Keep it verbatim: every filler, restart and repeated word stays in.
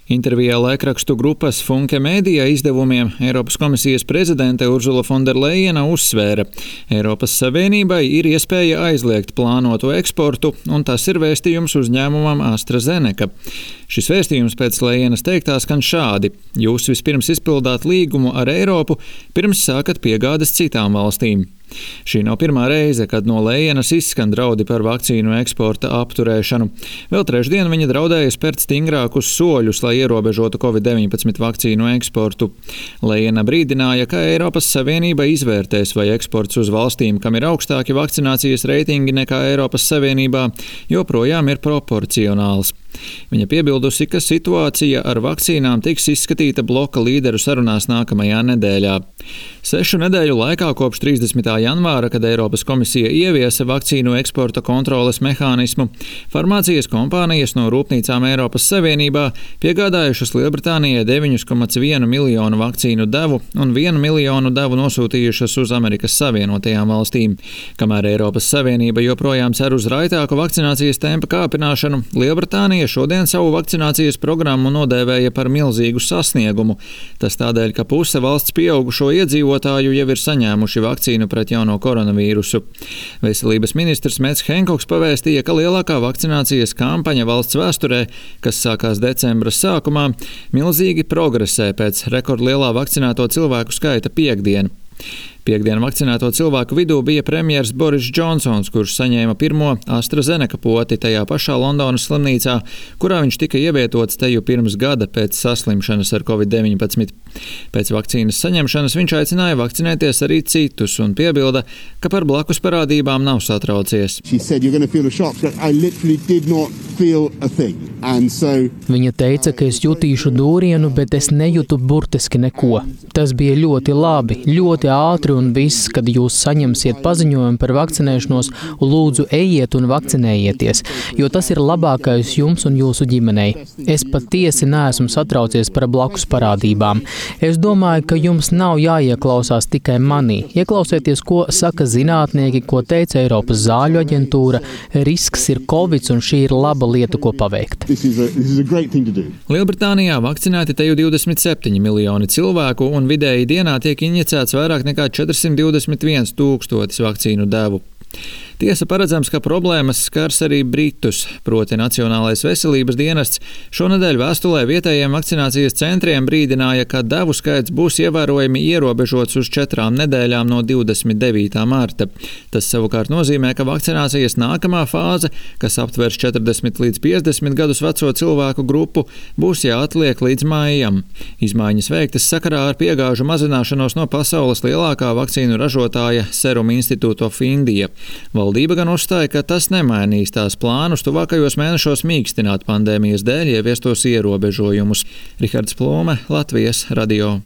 Intervijā laikrakstu grupas Funke Media izdevumiem Eiropas komisijas prezidente Ursula von der Leyena uzsvēra, Eiropas Savienībai ir iespēja aizliegt plānoto eksportu, un tas ir vēstījums uzņēmumam AstraZeneca. Šis vēstījums pēc Leyenas teiktā skan šādi: jūs vispirms izpildāt līgumu ar Eiropu, pirms sākat piegādes citām valstīm. Šī nav pirmā reize, kad no Leyenas izskan draudi par vakcīnu eksporta apturēšanu. Vēl trešdien viņa draudēja spērt stingrākus soļus, lai ierobežotu covid deviņpadsmit vakcīnu eksportu. Leyena brīdināja, ka Eiropas Savienība izvērtēs, vai eksports uz valstīm, kam ir augstāki vakcinācijas reitingi nekā Eiropas Savienībā, joprojām ir proporcionāls. Viņa piebildusi, ka situācija ar vakcīnām tiks izskatīta bloka līderu sarunās nākamajā nedēļā. Sešu nedēļu laikā kopš trīsdesmitā janvāra, kad Eiropas komisija ieviesa vakcīnu eksporta kontroles mehānismu, farmācijas kompānijas no rūpnīcām Eiropas Savienībā piegādājušas Lielbritānijai deviņu komats vienu miljonu vakcīnu devu un vienu miljonu devu nosūtījušas uz Amerikas Savienotajām valstīm. Kamēr Eiropas Savienība joprojām cer uz raitāku vakcinācijas tempa kāpināšanu, Lielbritānija šodien savu vakcinācijas programmu nodēvēja par milzīgu sasniegumu. Tas tādēļ, ka puse valsts pieaugušo iedzīvotāju jau ir saņēmuši vakcīnu pret jauno koronavīrusu. Veselības ministrs Mets Henkoks pavēstīja, ka lielākā vakcinācijas kampaņa valsts vēsturē, kas sākās decembra sākumā, milzīgi progresē pēc rekordlielā vakcinēto cilvēku skaita piekdien. Piektdien vakcinēto cilvēku vidū bija premjers Boris Džonsons, kurš saņēma pirmo AstraZeneca poti tajā pašā Londonas slimnīcā, kurā viņš tika ievietots teju pirms gada pēc saslimšanas ar covid deviņpadsmit. Pēc vakcīnas saņemšanas viņš aicināja vakcinēties arī citus un piebilda, ka par blakus parādībām nav satraucies. Viņa teica, ka es jutīšu dūrienu, bet es nejūtu burtiski neko. Tas bija ļoti labi, ļoti ātri, un viss, kad jūs saņemsiet paziņojumu par vakcinēšanos, lūdzu ejiet un vakcinējieties, jo tas ir labākais jums un jūsu ģimenei. Es patiesi neesmu satraucies par blakus parādībām. Es domāju, ka jums nav jāieklausās tikai manī. Ieklausieties, ko saka zinātnieki, ko teica Eiropas zāļu aģentūra. Risks ir Covid, un šī ir laba lieta, ko paveikt. Lielbritānijā vakcinēti teju divdesmit septiņi miljoni cilvēku, un vidēji dienā tiek injicēts vairāk nekā četrsimt divdesmit viens tūkstotis vakcīnu devu. Tiesa, paredzams, ka problēmas skars arī Britus, proti Nacionālais veselības dienests šonedēļ vēstulē vietējiem vakcinācijas centriem brīdināja, ka devu skaits būs ievērojami ierobežots uz četrām nedēļām no divdesmit devītā marta. Tas savukārt nozīmē, ka vakcinācijas nākamā fāze, kas aptvers četrdesmit līdz piecdesmit gadus veco cilvēku grupu, būs jāatliek līdz maijam. Izmaiņas veiktas sakarā ar piegāžu mazināšanos no pasaules lielākā vakcīnu ražotāja Serum Institute of India. Valdība gan uzstāja, ka tas nemainīs tās plānus tuvākajos mēnešos mīkstināt pandēmijas dēļ ieviestos ierobežojumus. Rihards Plome, Latvijas radio.